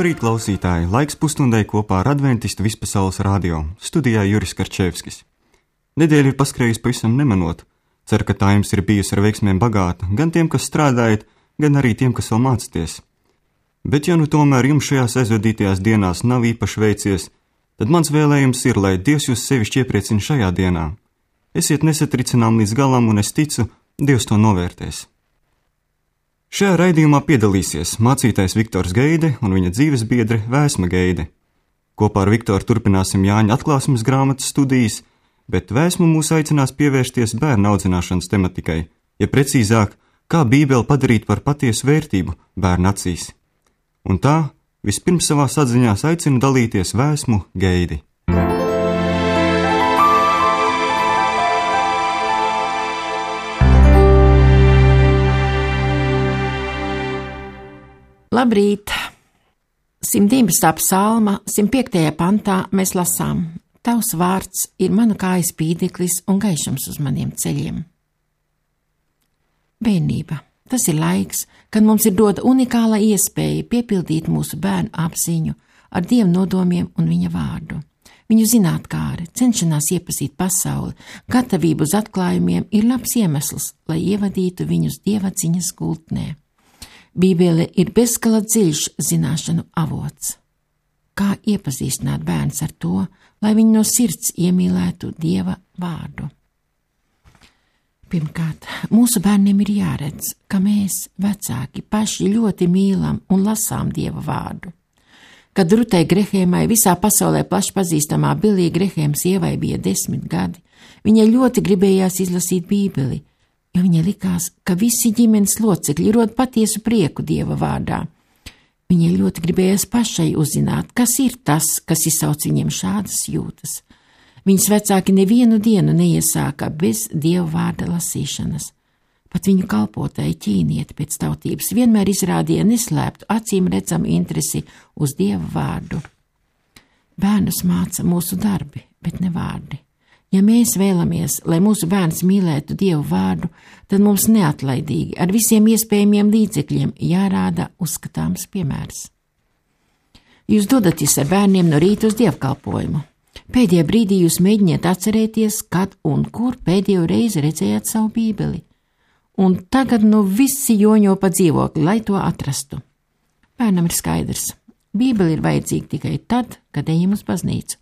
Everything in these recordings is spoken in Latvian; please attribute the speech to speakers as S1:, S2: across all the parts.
S1: Labrīt, klausītāji! Laiks pusstundai kopā ar Adventistu Vispasaules radio. Studijā Juris Karčevskis. Nedēļa ir paskrējusi pavisam nemanot. Ceru, ka tā jums ir bijusi ar veiksmēm bagāta, gan tiem, kas strādājat, gan arī tiem, kas vēl mācāties. Bet ja nu tomēr jums šajās aizvadītajās dienās nav īpaši veicies, tad mans vēlējums ir, lai Dievs jūs sevišķi iepriecina šajā dienā. Esiet nesatricinām līdz galam, un es ticu, Dievs to novērtēs. Šajā raidījumā piedalīsies mācītājs Viktors Geide un viņa dzīves biedre Vēsma Geide. Kopā ar Viktoru turpināsim Jāņa atklāsmes grāmatas studijas, bet Vēsmu mūs aicinās pievērsties bērnu audzināšanas tematikai, ja precīzāk, kā Bībeli padarīt par patiesu vērtību bērnu acīs. Un tā, vispirms savās atziņās aicinu dalīties Vēsmu Geidi.
S2: Labrīt! 119. psalma, 105. pantā mēs lasām: Tavs vārds ir mana kājas spīdeklis un gaišums uz maniem ceļiem. Bērnība. Tas ir laiks, kad mums ir dota unikāla iespēja piepildīt mūsu bērnu apziņu ar Dieva nodomiem un viņa vārdu. Viņu zinātkāre, cenšanās iepazīt pasauli, gatavību uz atklājumiem ir labs iemesls, lai ievadītu viņus dievadziņas gultnē. Bībele ir bezgala dziļš zināšanu avots. Kā iepazīstināt bērns ar to, lai viņi no sirds iemīlētu Dieva vārdu? Pirmkārt, mūsu bērniem ir jāredz, ka mēs, vecāki, paši ļoti mīlam un lasām Dieva vārdu. Kad Rutai Grehēmai, visā pasaulē plaši pazīstamā Bilija Grehēma sievai, bija 10 gadi, viņai ļoti gribējās izlasīt Bībeli, jo viņai likās, ka visi ģimenes locekļi rod patiesu prieku Dieva vārdā. Viņai ļoti gribējās pašai uzzināt, kas ir tas, kas izsauc viņiem šādas jūtas. Viņas vecāki nevienu dienu neiesāka bez Dieva vārda lasīšanas. Pat viņu kalpotāji ķīnieti pēc tautības vienmēr izrādīja neslēptu acīm redzamu interesi uz Dieva vārdu. Bērnus māca mūsu darbi, bet ne vārdi. Ja mēs vēlamies, lai mūsu bērns mīlētu Dievu vārdu, tad mums neatlaidīgi ar visiem iespējamiem līdzekļiem jārāda uzskatāms piemērs. Jūs dodaties ar bērniem no rīta uz dievkalpojumu. Pēdējā brīdī jūs mēģiniet atcerēties, kad un kur pēdējo reizi redzējāt savu Bībeli. Un tagad visi joņo pa dzīvokli, lai to atrastu. Bērnam ir skaidrs. Bībeli ir vajadzīga tikai tad, kad ejam uz baznīcu.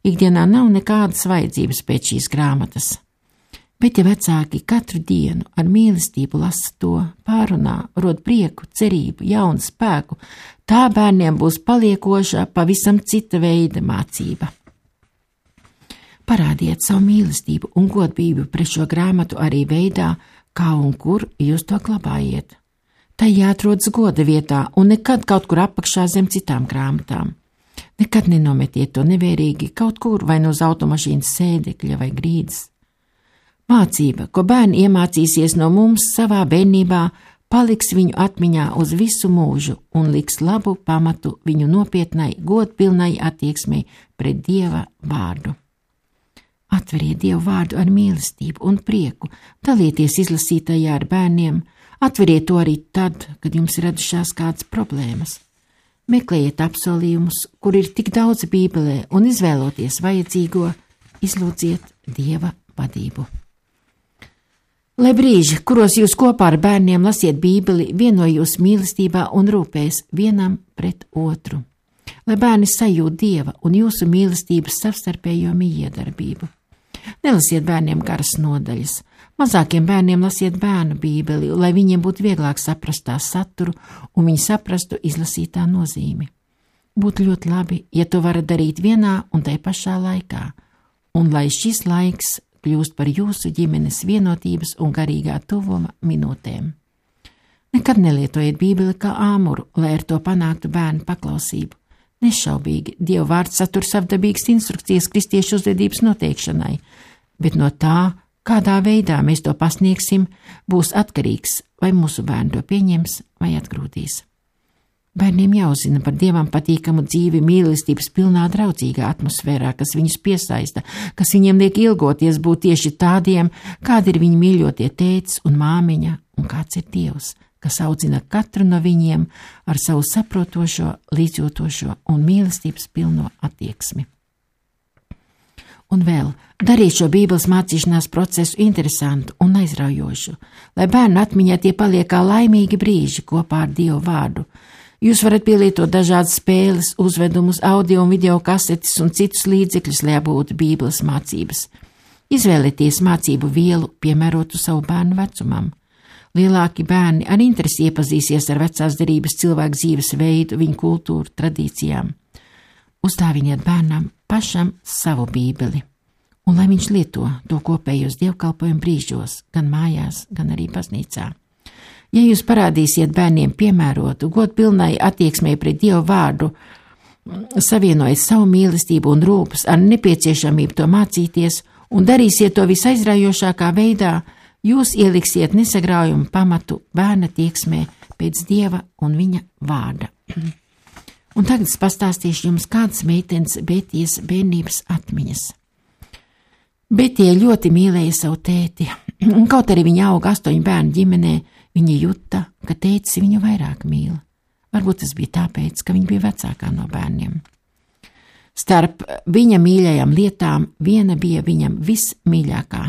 S2: Ikdienā nav nekādas vajadzības pēc šīs grāmatas. Bet ja vecāki katru dienu ar mīlestību lasa to, pārunā, rod prieku, cerību, jaunu spēku, tā bērniem būs paliekoša, pavisam cita veida mācība. Parādiet savu mīlestību un godbību pret šo grāmatu arī veidā, kā un kur jūs to glabājiet. Tai jāatrodas goda vietā un nekad kaut kur apakšā zem citām grāmatām. Nekad nenometiet to nevērīgi kaut kur vai no uz automašīnas sēdekļa vai grīdas. Mācība, ko bērni iemācīsies no mums savā bērnībā, paliks viņu atmiņā uz visu mūžu un liks labu pamatu viņu nopietnai, godpilnai attieksmei pret Dieva vārdu. Atveriet Dievu vārdu ar mīlestību un prieku, dalieties izlasītajā ar bērniem, atveriet to arī tad, kad jums ir radušās kādas problēmas. Meklējiet apsolījumus, kur ir tik daudz Bībelē, un izvēloties vajadzīgo, izlūdziet Dieva vadību. Lai brīži, kuros jūs kopā ar bērniem lasiet Bībeli, vieno jūs mīlestībā un rūpēs vienam pret otru. Lai bērni sajūt Dieva un jūsu mīlestības savstarpējo mijiedarbību. Nelasiet bērniem garas nodaļas. Mazākiem bērniem lasiet bērnu Bībeli, lai viņiem būtu vieglāk saprast tā saturu un viņi saprastu izlasītā nozīmi. Būtu ļoti labi, ja to varat darīt vienā un tai pašā laikā, un lai šis laiks kļūst par jūsu ģimenes vienotības un garīgā tuvuma minūtēm. Nekad nelietojiet Bībeli kā āmuru, lai ar to panāktu bērnu paklausību. Nešaubīgi, Dieva vārds satur savdabīgas instrukcijas kristiešu uzvedības noteikšanai, bet no tā, kādā veidā mēs to pasniegsim, būs atkarīgs, vai mūsu bērni to pieņems vai atgrūdīs. Bērniem jāuzzina par Dievam patīkamu dzīvi mīlestības pilnā draudzīgā atmosfērā, kas viņus piesaista, kas viņiem liek ilgoties būt tieši tādiem, kādi ir viņu mīļotie tētis un māmiņa un kāds ir Dievs, kas audzina katru no viņiem ar savu saprotošo, līdzjūtošo un mīlestības pilno attieksmi. Un vēl, darīt šo Bībeles mācīšanās procesu interesantu un aizraujošu, lai bērnu atmiņā tie paliek kā laimīgi brīži kopā ar Dievu vārdu. Jūs varat pielietot dažādas spēles, uzvedumus, audio un video kasetes un citus līdzekļus, lai apgūtu Bībeles mācības. Izvēlieties mācību vielu, piemērotu savu bērnu vecumam. Lielāki bērni ar interesi iepazīsies ar vecās derības cilvēku dzīves veidu, viņu kultūru, tradīcijām. Uzdāviniet bērnam pašam savu Bībeli, un lai viņš lieto to kopējos dievkalpojumu brīžos, gan mājās, gan arī baznīcā. Ja jūs parādīsiet bērniem piemērotu, godpilnai attieksmei pret Dievu vārdu, savienojot savu mīlestību un rūpes ar nepieciešamību to mācīties un darīsiet to visaizraujošākā veidā, jūs ieliksiet nesagraujumu pamatu bērna tieksmē pēc Dieva un viņa vārda. Un tagad es pastāstīšu jums kādas meitenes Betijas bērnības atmiņas. Betija ļoti mīlēja savu tēti, un kaut arī viņa auga 8 bērnu ģimenē, viņa juta, ka tētis viņu vairāk mīl. Varbūt tas bija tāpēc, ka viņa bija vecākā no bērniem. Starp viņa mīļajām lietām viena bija viņam vismīļākā.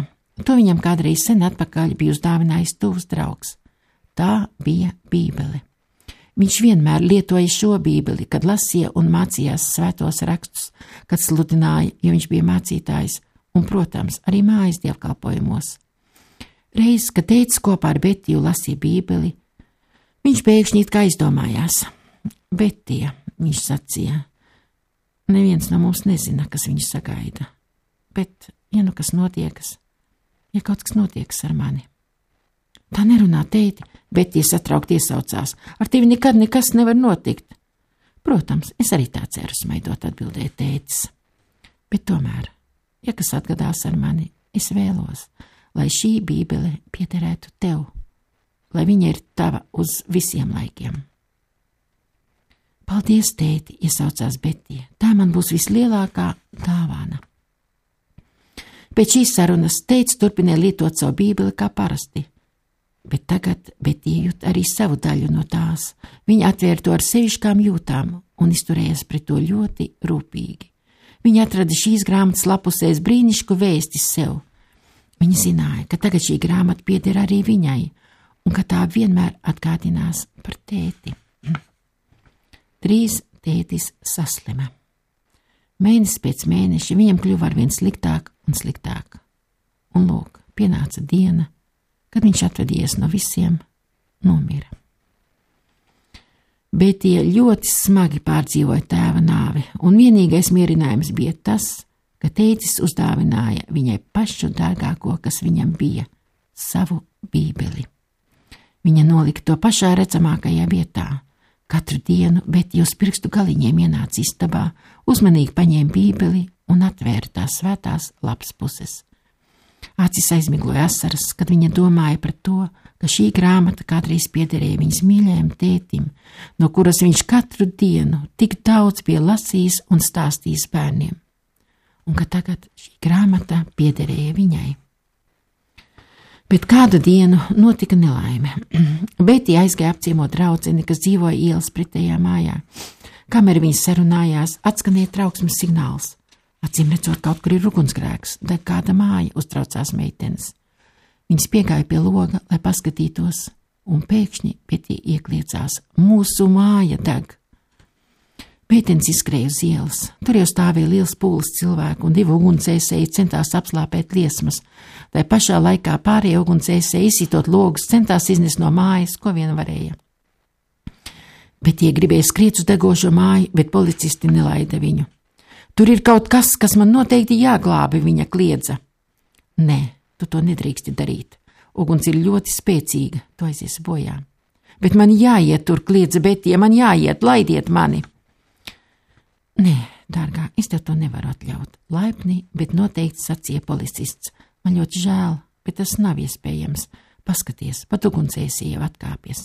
S2: To viņam kādreiz sen atpakaļ bija uzdāvinājis tuvs draugs. Tā bija Bībele. Viņš vienmēr lietoja šo Bībeli, kad lasīja un mācījās svētos rakstus, kad sludināja, jo viņš bija mācītājs, un, protams, arī mājas dievkalpojumos. Reiz, kad tētis kopā ar Betiju lasīja Bībeli, viņš pēkšņi it kā aizdomājās. Betija, viņš sacīja, neviens no mums nezina, kas viņu sagaida, bet, ja nu kas notiekas, ja kaut kas notiekas ar mani. Tā nerunā, tēti, Betija satraukti iesaucās, ar tevi nekad nekas nevar notikt. Protams, es arī tā ceru, smaidot atbildēja tētis. Bet tomēr, ja kas atgadās ar mani, es vēlos, lai šī Bībele piederētu tev, lai viņa ir tava uz visiem laikiem. Paldies, tēti, iesaucās Betija, tā man būs vislielākā dāvana. Pēc šīs sarunas tētis turpināja lietot savu Bībeli kā parasti, bet tagad Betija jūt arī savu daļu no tās. Viņa atvēra to ar sevišķām jūtām un izturējās pret to ļoti rūpīgi. Viņa atrada šīs grāmatas lapusēs brīnišku vēsti sev. Viņa zināja, ka tagad šī grāmata pieder arī viņai, un ka tā vienmēr atgādinās par tēti. Drīz tētis saslima. Mēnesis pēc mēneša viņam kļuva arvien sliktāk un sliktāk. Un lūk, pienāca diena, kad viņš atvadies no visiem, nomira. Betija ļoti smagi pārdzīvoja tēva nāvi, un vienīgais mierinājums bija tas, ka tētis uzdāvināja viņai pašu dārgāko, kas viņam bija, savu Bībeli. Viņa nolika to pašā redzamākajā vietā. Katru dienu Betija uz pirkstu galiņiem ienāca istabā, uzmanīgi paņēma Bībeli un atvēra tās svētās lapas puses. Acis aizmigloja asaras, kad viņa domāja par to, ka šī grāmata kādreiz piederēja viņas mīļajam tētim, no kuras viņš katru dienu tik daudz bija lasījis un stāstījis bērniem, un ka tagad šī grāmata piederēja viņai. Bet kādu dienu notika nelaime. Betija aizgāja apciemot draudzeni, kas dzīvoja ielas pretējā mājā. Kamēr viņi sarunājās, atskanēja trauksmes signāls. Acīm redzot, kaut kur ir ugunsgrēks, deg kāda māja, uztraucās meitenes. Viņas piegāja pie loga, lai paskatītos, un pēkšņi Betija iekliecās: mūsu māja deg! Meitenes izskrēja uz ielas. Tur jau stāvēja liels pūlis cilvēku, un 2 ugunsdzēsēji centās apslāpēt liesmas. Tai pašā laikā pārējie ugunsdzēsēji, izsitot logus, centās iznest no mājas, ko vien varēja. Betija gribēja skriet uz degošo māju, bet policisti nelaida viņu. Tur ir kaut kas, kas man noteikti jāglābi, viņa kliedza. Nē, tu to nedrīksti darīt. Uguns ir ļoti spēcīga, tu aizies bojā. Bet man jāiet tur, kliedza Betija, man jāiet, laidiet mani. Nē, dārgā, es tev to nevaru atļaut. Laipni, bet noteikti sacīja policists. Man ļoti žēl, bet tas nav iespējams. Paskaties, pat ugunsdzēsēji jau atkāpjas.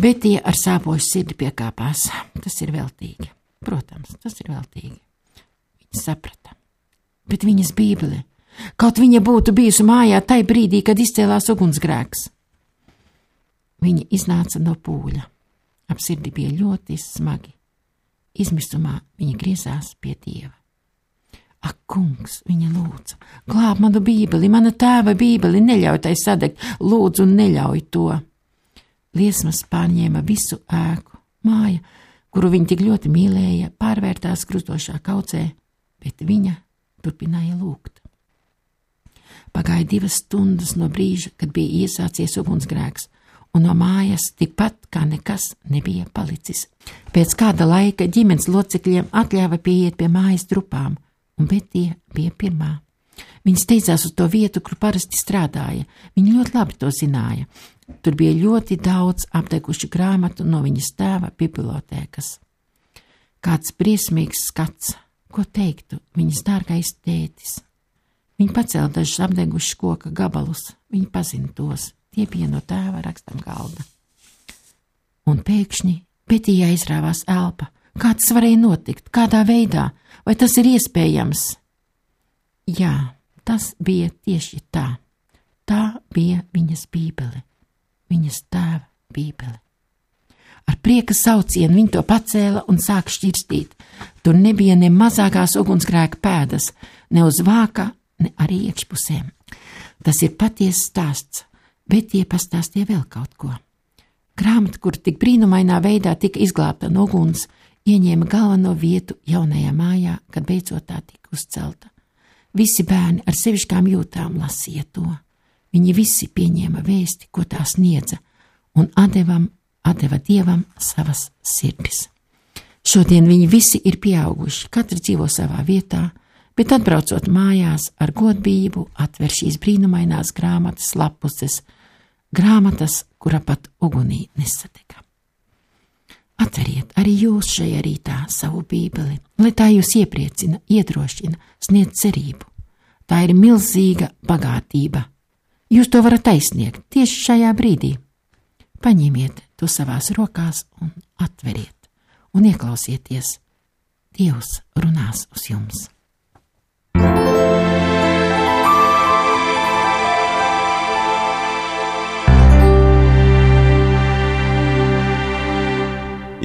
S2: Betija ar sāpošu sirdi piekāpās. Tas ir veltīgi. Protams, tas ir veltīgi. Viņa saprata. Bet viņas Bībele, kaut viņa būtu bijusi mājā tai brīdī, kad izcēlās ugunsgrēks. viņa iznāca no pūļa. Ap sirdi bija ļoti smagi. Izmisumā viņa griezās pie Dieva. Ak, kungs, viņa lūdza, glāb manu bībeli, mana tēva bībeli, neļauj tai sadegt, lūdzu, neļauj to. Liesmas pārņēma visu ēku, māja, kuru viņa tik ļoti mīlēja, pārvērtās krustošā kaudzē, bet viņa turpināja lūgt. Pagāja 2 stundas no brīža, kad bija iesācies ugunsgrēks, un no mājas tikpat kā nekas nebija palicis. Pēc kāda laika ģimenes locekļiem atļāva pieiet pie mājas drupām, un Betija bija pirmā. Viņa steidzās uz to vietu, kur parasti strādāja. Viņa ļoti labi to zināja. Tur bija ļoti daudz apdegušu grāmatu no viņas tēva bibliotēkas. Kāds briesmīgs skats, ko teiktu viņas dārgais tētis. Viņa pacēla dažus apdegušus koka gabalus. Viņa pazina tos. Tie bija no tēva rakstam galda. Un pēkšņi Betijai aizrāvās elpa. Kā tas varēja notikt? Kādā veidā? Vai tas ir iespējams? Jā, tas bija tieši tā. Tā bija viņas bībele. Viņas tēva bībele. Ar prieka saucienu viņa to pacēla un sāka šķirstīt. Tur nebija ne mazākās ugunsgrēka pēdas, ne uz vāka, ne arī iekšpusēm. Tas ir patiess stāsts, bet tie pastāstīja vēl kaut ko. Grāmata, kur tik brīnumainā veidā tika izglābta no uguns, ieņēma galveno vietu jaunajā mājā, kad beidzot tā tika uzcelta. Visi bērni ar sevišķām jūtām lasīja to. Viņi visi pieņēma vēsti, ko tā sniedza, un atdeva Dievam savas sirdis. Šodien viņi visi ir pieauguši, katrs dzīvo savā vietā, bet atbraucot mājās ar godbību atver šīs brīnumainās grāmatas lapuses, grāmatas, kura pat ugunī nesadega. Atveriet arī jūs šajā rītā savu bībeli, lai tā jūs iepriecina, iedrošina, sniedz cerību. Tā ir milzīga bagātība. Jūs to varat aizsniegt tieši šajā brīdī. Paņemiet to savās rokās un atveriet, un ieklausieties. Dievs runās uz jums.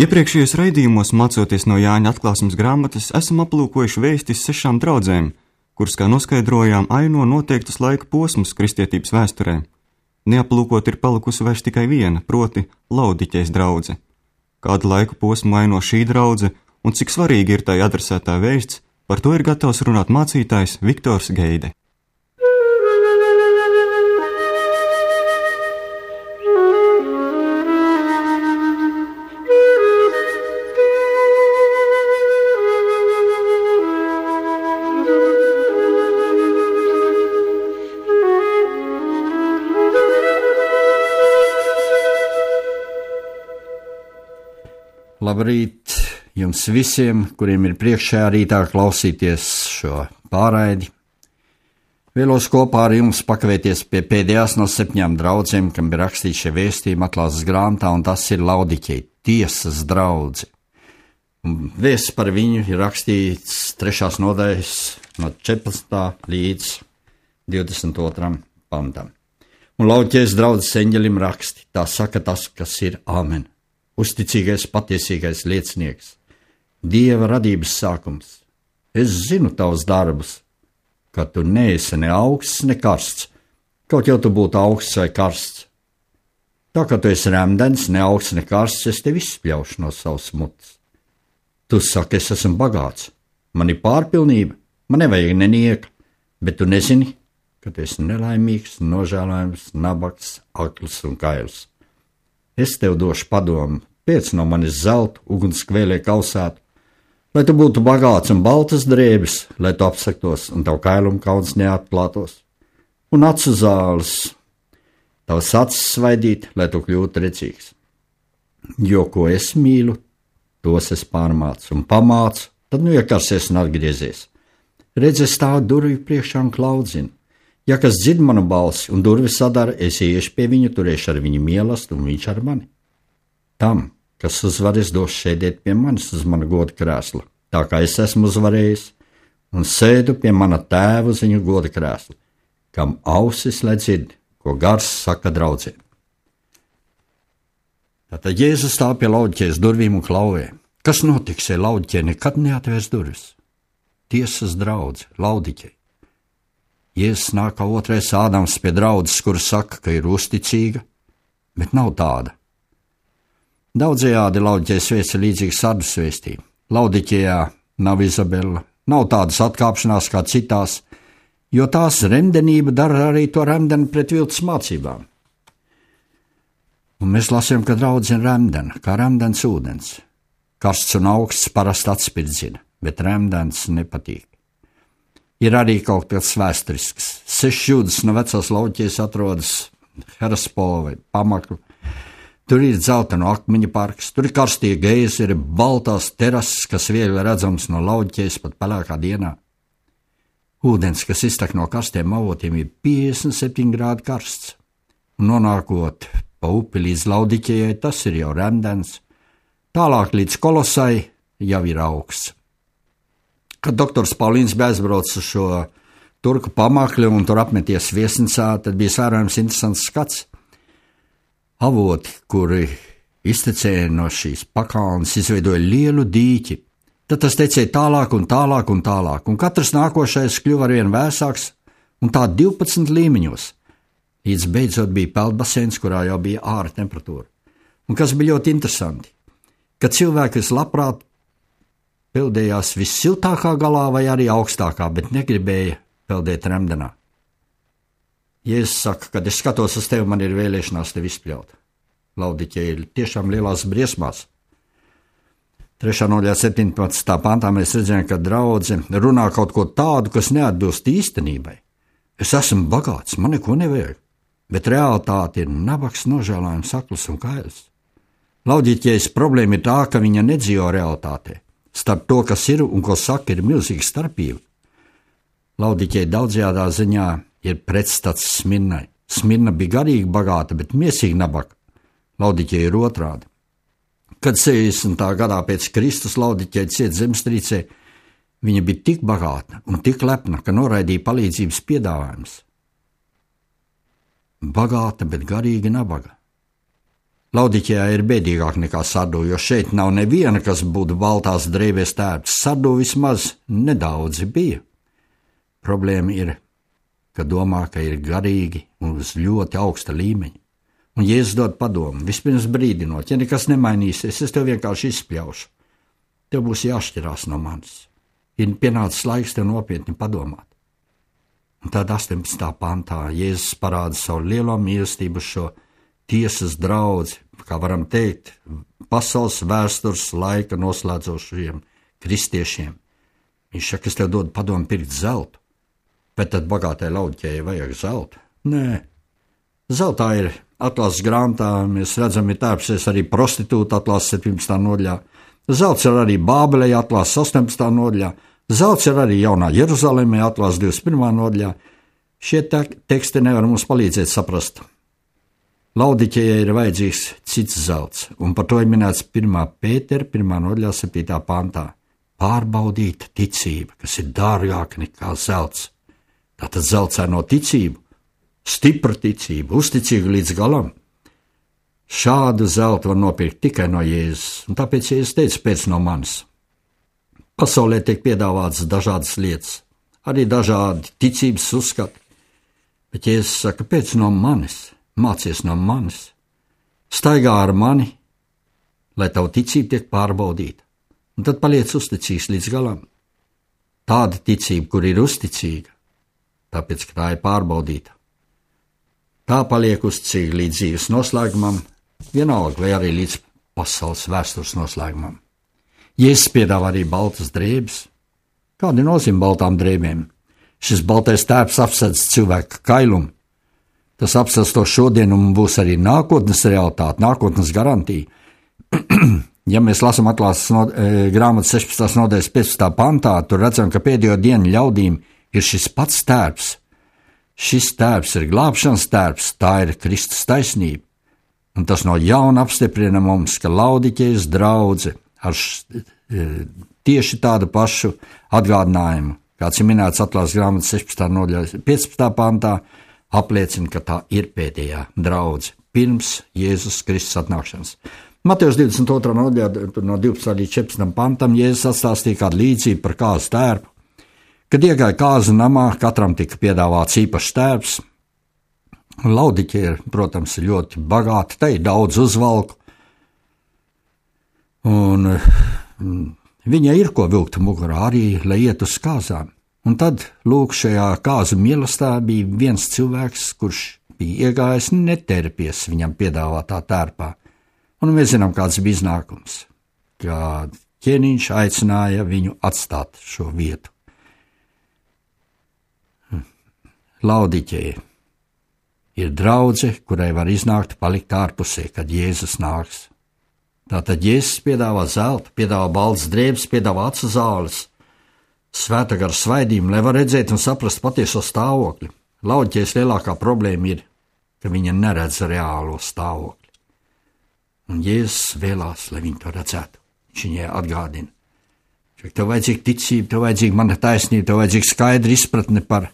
S1: Iepriekšējos raidījumos, mācoties no Jāņa atklāsmes grāmatas, esam aplūkojuši vēstis 6 draudzēm, kuras, kā noskaidrojām, aino noteiktus laika posmus kristietības vēsturē. Neaplūkot ir palikusi vairs tikai viena, proti Laodiķejas draudze. Kādu laiku posmu aino šī draudze un cik svarīgi ir tai adresētā vēsts, par to ir gatavs runāt mācītājs Viktors Geide.
S3: Labrīt jums visiem, kuriem ir priekšējā rītā klausīties šo pārraidi. Vēlos kopā ar jums pakavēties pie pēdējās no 7 draudzēm, kam ir rakstīts šie vēstījumi atklāsmes grāmatā, un tas ir Laodiķeja tiesas draudze. Vēsts par viņu ir rakstīts 3. nodaļas no 14. līdz 22. pantam. Un Laodiķejas draudzes eņģelim raksti, tā saka tas, kas ir Āmen. Uzticīgais, patiesīgais liecinieks, Dieva radības sākums. Es zinu tavus darbus, ka tu neesi ne augsts, ne karsts, kaut jau tu būtu augsts vai karsts. Tā kā tu esi remdens, ne augsts, ne karsts, es tevi izspļaušu no savas mutes. Tu saki, es esmu bagāts, man ir pārpilnība, man nevajag nenieka, bet tu nezini, ka tu esi nelaimīgs, nožēlojams, nabaks, akls un kails. Es tev došu padomu, pēc no manis zeltu, ugunskvēlē kausētu, lai tu būtu bagāts un baltas drēbes, lai tu apsaktos un tavu kailumu kauns neatklātos, un acu zāles, tavas acis svaidīt, lai tu kļūtu redzīgs. Jo, ko es mīlu, tos es pārmācu un pamācu, tad nu iekarsies un atgriezies. Redz, es stāvu durvju priekšā un klaudzinu. Ja kas dzird manu balsi un durvis sadara, es ieiešu pie viņu, turēšu ar viņu mīlestību un viņš ar mani. Tam, kas uzvarēs, dos sēdēt pie manis uz mana goda krēsla, tā kā es esmu uzvarējis, un sēdu pie mana tēva uz viņa goda krēsla, kam ausis lai dzird, ko gars saka draudzēm. Tātad Jēzus stāv pie Laodiķejas durvīm un klauvē. Kas notiks, ja Laodiķeja nekad neatvērs durvis? Tiesas draudze, Laodiķeja. Jēzus nāk kā otrais Ādams pie draudzes, kura saka, ka ir uzticīga, bet nav tāda. Daudzējādi Laodiķejas vēsts ir līdzīgs Sardas vēstī. Laodiķejā nav Izabela, nav tādas atkāpšanās kā citās, jo tās remdenība dara arī to remdeni pret viltus mācībām. Un mēs lasījām, ka draudze ir remdena, kā remdens ūdens. Karsts un augsts parasti atspirdzina, bet remdens nepatīk. Ir arī kaut kas vēsturisks. 6 jūdzes no vecās Laodiķejas atrodas Hellespona vai Pamakļa. Tur ir dzelteno akmeņu parks, tur ir karstie geizeri, baltās terases, kas viegli redzams no Laodiķejas pat pelēkā dienā. Ūdens, kas iztek no karstiem avotiem, ir 57 grādi karsts. Un nonākot pa upi līdz Laodiķejai, tas ir jau remdens. Tālāk līdz Kolosai jau ir augsts. Kad doktors Paulīns bija aizbraucis uz šo turku Pamakļu un tur apmeties viesnīcā, tad bija vērojams interesants skats. Avoti, kuri iztecēja no šīs pakalnes, izveidoja lielu dīķi. Tad tas tecēja tālāk un tālāk un tālāk, un katrs nākošais kļuva arvien vēsāks, un tā 12 līmeņos. Līdz beidzot bija peldbaseins, kurā jau bija ārā temperatūra. Un kas bija ļoti interesanti, ka cilvēki vislabprāt peldējās vissiltākā galā vai arī augstākā, bet negribēja peldēt remdenā. Jēzus saka, kad es skatos uz tevi, man ir vēlēšanās tevi izpļaut. Laodiķeja ir tiešām lielās briesmās. 3. nodaļā 17. pantā mēs redzējām, ka draudze runā kaut ko tādu, kas neatbilst īstenībai. Es esmu bagāts, man neko nevajag, bet realitāte ir nabaks, nožēlājums, akls un kails. Laodiķejas problēma ir tā, ka viņa nedzīvo realitātē. Starp to, kas ir un ko saka, ir milzīga starpība. Laodiķeja daudzajādā ziņā ir pretstats Smirnai. Smirna bija garīgi bagāta, bet miesīgi nabaga. Laodiķeja ir otrādi. Kad 60. gadā pēc Kristus Laodiķeja cieta zemestrīcē, viņa bija tik bagāta un tik lepna, ka noraidīja palīdzības piedāvājumus. Bagāta, bet garīgi nabaga. Laodiķejā ir bēdīgāk nekā Sardu, jo šeit nav neviena, kas būtu baltās drēbēs tērpts. Sardu vismaz nedaudzi bija. Problēma ir, ka domā, ka ir garīgi un uz ļoti augsta līmeņa. Un Jēzus dod padomu, vispirms brīdinot, ja nekas nemainīsies, es tev vienkārši izspļaušu. Tev būs jāšķirās no manis. Ir pienācis laiks tev nopietni padomāt. Un tad 18. pantā Jēzus parāda savu lielo mīlestību šo tiesas draudzi, kā varam teikt, pasaules vēstures laika noslēdzošiem kristiešiem. Viņš saka, es tev dodu padomu pirkt zeltu, bet tad bagātai Laodiķejai vajag zeltu? Nē, zeltā ir atlases grāmatā, mēs redzam, ir tērpsies arī prostitūta atlases 17. nodaļā. Zelts ir arī Bābelē atlases 18. nodaļā. Zelts ir arī Jaunā Jeruzalemē atlases 21. nodaļā. Šie teksti nevar mums palīdzēt saprast. Laodiķejai ir vajadzīgs cits zelts, un par to ir minēts 1. Pētera 1. nodaļā 7. pantā. Pārbaudīta ticība, kas ir dārgāka nekā zelts. Tātad zeltsaino ticību, stipra ticība, uzticīga līdz galam. Šādu zeltu var nopirkt tikai no Jēzus, un tāpēc Jēzus teica pēc no manis. Pasaulē tiek piedāvātas dažādas lietas, arī dažādi ticības uzskati, bet Jēzus saka, pēc no manis. Mācies no manis, staigā ar mani, lai tavu ticība tiek pārbaudīta, un tad paliec uzticīgs līdz galam. Tāda ticība, kur ir uzticīga, tāpēc, ka tā ir pārbaudīta. Tā paliek uzticīga līdz dzīves noslēgumam, vienalga vai arī līdz pasaules vēstures noslēgumam. Jēzus piedāvā arī baltas drēbes. Kāda nozīme baltām drēbēm? Šis baltais tērps apsedz cilvēka kailumu. Tas apstāsta to šodien un būs arī nākotnes realitāte, nākotnes garantija. Ja mēs lasām atlases grāmatas 16. nodaļas 15. pantā, tur redzam, ka pēdējo dienu ļaudīm ir šis pats tērps. Šis tērps ir glābšanas tērps, tā ir Kristus taisnība. Un tas no jauna apstiprina mums, ka Laodiķejas draudze ar tieši tādu pašu atgādinājumu, kāds ir minēts atlases grāmatas 16. nodaļas 15. pantā, apliecina, ka tā ir pēdējā draudze, pirms Jēzus Kristus atnākšanas. Matejus 22. nodaļā no 12. līdz 14. pantam Jēzus atstāstīja kādu līdzību par kāzu tērpu. Kad iegāja kāzu namā, katram tika piedāvāts īpašs tērps. Laodiķija, protams, ir ļoti bagāta, te ir daudz uzvalku. Un viņai ir ko vilkt mugurā arī, lai iet uz kāzām. Un tad, lūk, šajā kāzu mielastā bija viens cilvēks, kurš bija iegājis netērpies viņam piedāvātā tērpā. Un mēs zinām, kāds bija iznākums, kā ķēniņš aicināja viņu atstāt šo vietu. Laodiķeja ir draudze, kurai var iznākt palikt ārpusē, kad Jēzus nāks. Tātad Jēzus piedāvā zeltu, piedāvā baltas drēbes, piedāvā acu zāles, svēta gara svaidījumu, lai var redzēt un saprast patieso stāvokli. Laodiķejas lielākā problēma ir, ka viņa neredz reālo stāvokli. Un Jēzus vēlās, lai viņi to redzētu. Viņš viņai atgādina. Tev vajadzīga ticība, tev vajadzīga mana taisnība, tev vajadzīga skaidra izpratne par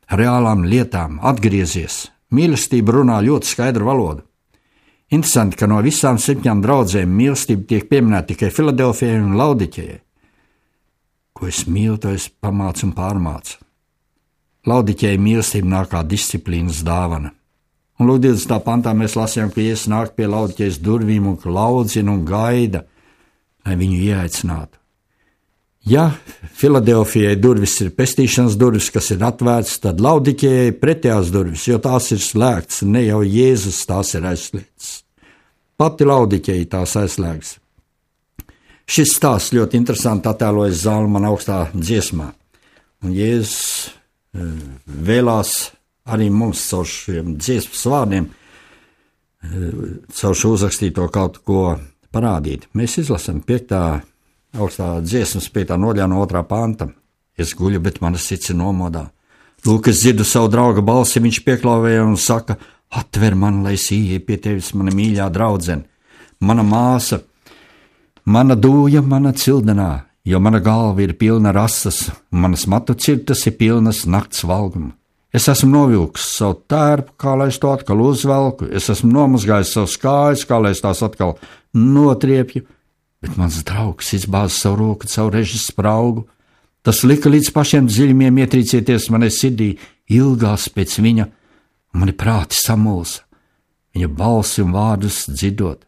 S3: reālām lietām. Atgriezies. Mīlestība runā ļoti skaidru valodu. Interesanti, ka no visām 7 draudzēm mīlestība tiek pieminēta tikai Filadelfijai un Laodiķejai. Ko es mīlu, to es pamācu un pārmācu. Laodiķejai mīlestība nāk kā disciplīnas dāvana. Un lūk, 20. pantā mēs lasījām, ka Jēzus nāk pie Laodiķejas durvīm un laudzina un gaida, lai viņu ieaicinātu. Ja Filadelfijai durvis ir pestīšanas durvis, kas ir atvērts, tad Laodiķejai pretējās durvis, jo tās ir slēgts, ne jau Jēzus tās ir aizslēgts. Pati Laodiķeja tās aizslēgs. Šis stāsts ļoti interesanti attēlojas Zalmana augstā dziesmā. Un Jēzus vēlās arī mums caur šiem dziesmas vārdiem, caur šo uzrakstīto kaut ko parādīt. Mēs izlasam 5. augstā dziesmas 5. nodaļā no 2. panta. Es guļu, bet mana sirds ir nomodā. Lūk, es dzirdu savu drauga balsi, viņš pieklāvēja un saka, atver man, lai es ieeju pie tevis, mana mīļā draudzene, mana māsa, mana dūja, mana cildenā, jo mana galva ir pilna rasas, un manas matu cirtas ir pilnas nakts valguma. Es esmu novilks savu tērpu, kā lai es to atkal uzvelku, es esmu nomazgājis savus kājas, kā lai es tās atkal notriepju, bet mans draugs izbāza savu roku caur režas spraugu. Tas lika līdz pašiem dziļumiem ietrīcieties manai sirdī, ilgās pēc viņa, un mani prāti samulsa, viņa balsi un vārdus dzirdot.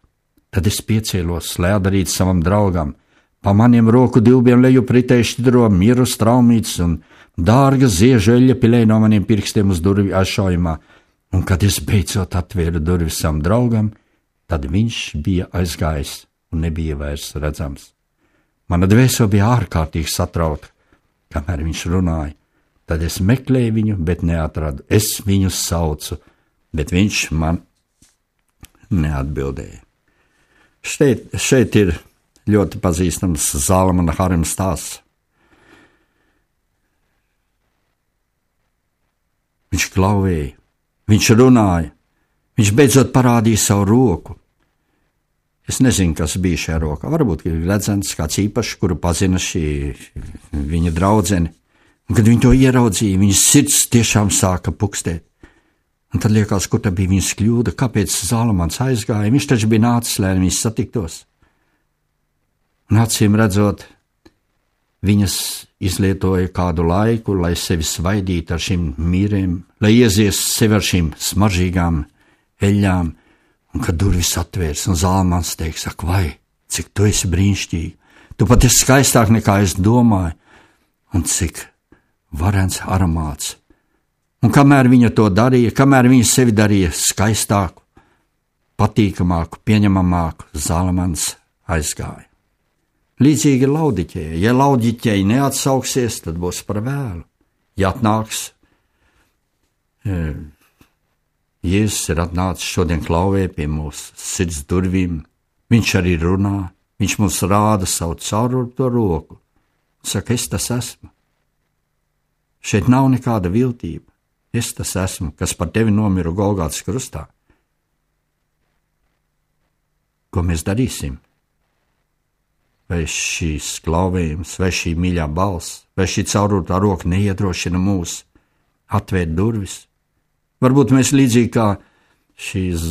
S3: Tad es piecēlos, lai atdarītu savam draugam, pa maniem roku dilbiem leju pritēju šķidro mieru straumīts un dārga ziežu eļļa pilēja no maniem pirkstiem uz durvju aizšaujumā, un kad es beidzot atvēru durvis savam draugam, tad viņš bija aizgājis un nebija vairs redzams. Mana dvēsele bija ārkārtīgi satrauta, kamēr viņš runāja. Tad es meklēju viņu, bet neatradu. Es viņu saucu, bet viņš man neatbildēja. Šeit ir ļoti pazīstams Zalmana harema stāsts. Viņš klauvēja, viņš runāja, viņš beidzot parādīja savu roku. Es nezinu, kas bija šajā rokā. Varbūt ir redzams kāds īpašs, kuru pazina šī viņa draudzene. Un, kad viņi to ieraudzīja, viņas sirds tiešām sāka pukstēt. Un tad liekas, kur tā bija viņas kļūda, kāpēc Zalmans aizgāja. Viņš taču bija nācis, lai viņas satiktos. Un acīm redzot, viņas izlietoja kādu laiku, lai sevi svaidītu ar šīm mīrēm, lai iezies sevi ar šīm smaržīgām eļļām. Un kad durvis atvērs, un Zalmans teiks, ak, vai, cik tu esi brīnišķīgi, tu pat esi skaistāk nekā es domāju, un cik varens aromāts. Un kamēr viņa to darīja, kamēr viņa sevi darīja skaistāku, patīkamāku, pieņemamāku, Zalmans aizgāja. Līdzīgi ir Laodiķejai. Ja Laodiķejai neatsauksies, tad būs par vēlu. Ja atnāks, Jēzus ir atnācis šodien klauvē pie mūsu sirds durvīm. Viņš arī runā, viņš mums rāda savu caururto roku. Saka, es tas esmu. Šeit nav nekāda viltība. Es tas esmu, kas par tevi nomiru Golgātas krustā. Ko mēs darīsim? Vai šīs klauvējums, vai šī mīļā balss, vai šī caururtā roka neiedrošina mūs atvērt durvis? Varbūt mēs līdzīgi kā šīs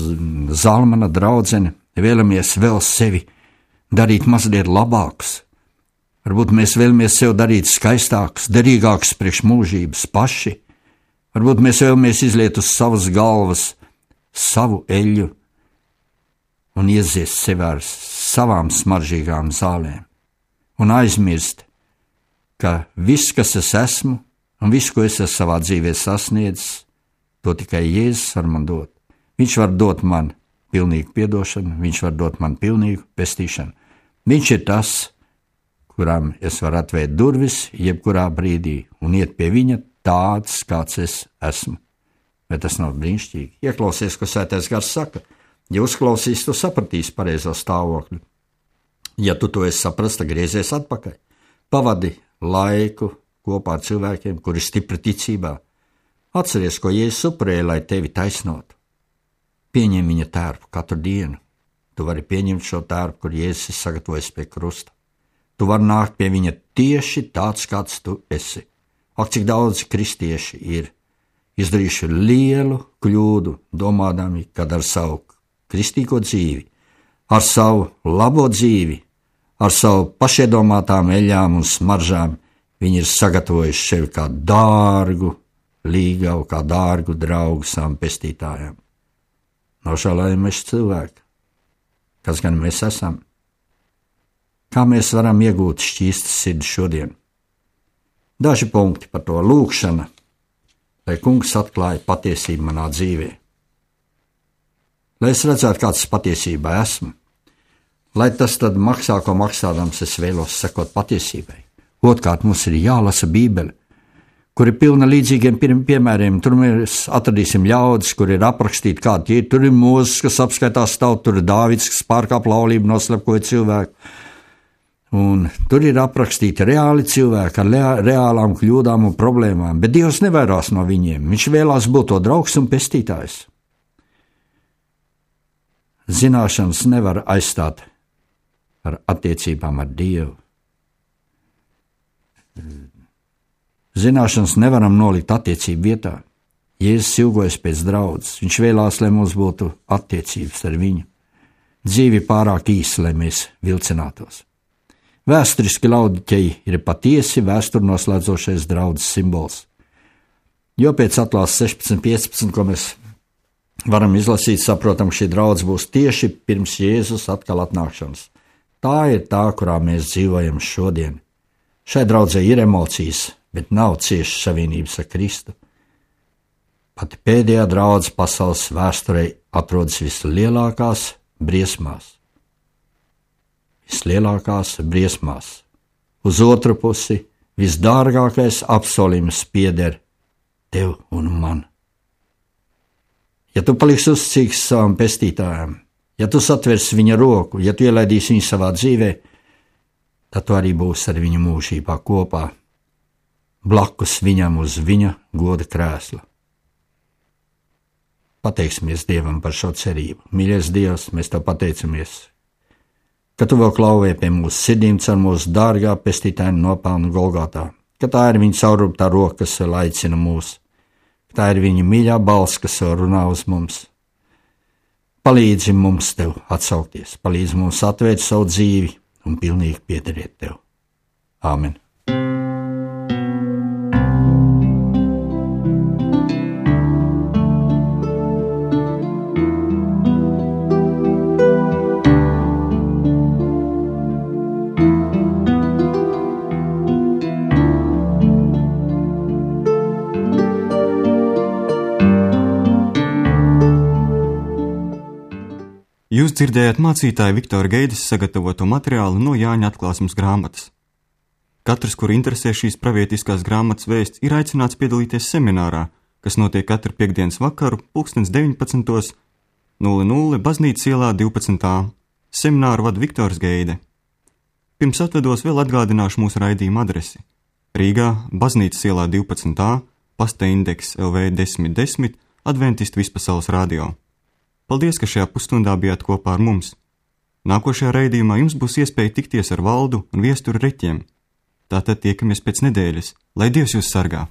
S3: Zalmana draudzene, vēlamies vēl sevi darīt mazliet labākus. Varbūt mēs vēlamies sev darīt skaistākus, derīgākus priekš mūžības paši. Varbūt mēs vēlamies izliet uz savas galvas savu eļļu un ieziest sevi ar savām smaržīgām zālēm un aizmirst, ka viss, kas es esmu un viss, ko es savā dzīvē sasniedzis, to tikai Jēzus var man dot. Viņš var dot man pilnīgu piedošanu, viņš var dot man pilnīgu pestīšanu. Viņš ir tas, kuram es varu atvērt durvis jebkurā brīdī un iet pie viņa tāds, kāds es esmu. Bet tas nav brīnišķīgi. Ieklausies, ko Svētais Gars saka. Ja uzklausīs, tu sapratīsi pareizo stāvokli. Ja tu to esi saprast, tad griezies atpakaļ. Pavadi laiku kopā ar cilvēkiem, kuri stipri ticībā. Atceries, ko Jēzus upurēja, lai tevi taisnotu. Pieņem viņa tērpu katru dienu. Tu vari pieņemt šo tērpu, kur Jēzus ir sagatavojis pie krusta. Tu vari nākt pie viņa tieši tāds, kāds tu esi. Ak, cik daudz kristieši ir izdarījuši lielu kļūdu, domādami, kad ar savu kristīgo dzīvi, ar savu labo dzīvi, ar savu pašiedomātām eļļām un smaržām, viņi ir sagatavojuši sevi kā dārgu līgavu, kā dārgu draugu savām pestītājām. Nožēlojamies cilvēki, kas gan mēs esam? Kā mēs varam iegūt šķīstas sirdi šodien? Daži punkti par to lūkšana, lai kungs atklāja patiesību manā dzīvē. Lai es redzētu, kāds patiesībā esmu, lai tas tad maksā, ko maksādams es vēlos sekot patiesībai. Otrkārt, mums ir jālasa Bībele, kur ir pilna līdzīgiem piemēriem. Tur mēs atradīsim ļaudis, kur ir aprakstīti kādi ir. Tur ir Mūzes, kas apskaitās tautu, tur ir Dāvids, kas pārkāp laulību, noslepkoja cilvēku. Un tur ir aprakstīti reāli cilvēki ar reālām kļūdām un problēmām, bet Dievs nevairās no viņiem. Viņš vēlās būt to draugs un pestītājs. Zināšanas nevar aizstāt ar attiecībām ar Dievu. Zināšanas nevaram nolikt attiecību vietā. Jēzus ilgojas pēc draudzes. Viņš vēlās, lai mums būtu attiecības ar viņu. Dzīve pārāk īsa, lai mēs vilcinātos. Vēsturiski laudķeji ir patiesi vēsturi noslēdzošais draudzes simbols. Jo pēc atklāsmes 16.15, ko mēs varam izlasīt, saprotam, ka šī draudze būs tieši pirms Jēzus atkal atnākšanas. Tā ir tā, kurā mēs dzīvojam šodien. Šai draudzē ir emocijas, bet nav ciešas savienības ar Kristu. Pati pēdējā draudze pasaules vēsturē atrodas vislielākās briesmās. Vislielākās briesmās. Uz otru pusi visdārgākais apsolījums pieder tev un man. Ja tu paliksi uzticīgs savam pestītājam, ja tu satversi viņa roku, ja tu ielaidīsi viņu savā dzīvē, tad tu arī būsi ar viņu mūžībā kopā, blakus viņam uz viņa goda krēsla. Pateiksimies Dievam par šo cerību. Mīļais Dievs, mēs tev pateicamies, ka tu vēl klauvē pie mūsu sirdīm caur mūsu dārgā pestītāja nopelnu Golgotā, ka tā ir viņa caurrūptā roka, kas vēl aicina mūs, ka tā ir viņa mīļā balss, kas vēl runā uz mums. Palīdzi mums tev atsaukties, palīdzi mums atvērt savu dzīvi un pilnīgi piederēt tev. Āmen.
S1: Jūs dzirdējāt mācītāja Viktora Geides sagatavoto materiālu no Jāņa atklāsmes grāmatas. Katrs, kur interesē šīs pravietiskās grāmatas vēsts, ir aicināts piedalīties seminārā, kas notiek katru piektdienas vakaru 19.00 Baznīcas ielā 12a. Semināru vada Viktors Geide. Pirms atvedos vēl atgādināšu mūsu raidījuma adresi. Rīgā, Baznīcas ielā 12a, pasta indeks LV 1010, Adventistu vispasaules radio. Paldies, ka šajā pusstundā bijāt kopā ar mums. Nākošajā raidījumā jums būs iespēja tikties ar Valdu un Viesturu Reķiem. Tātad tiekamies pēc nedēļas. Lai Dievs jūs sargā!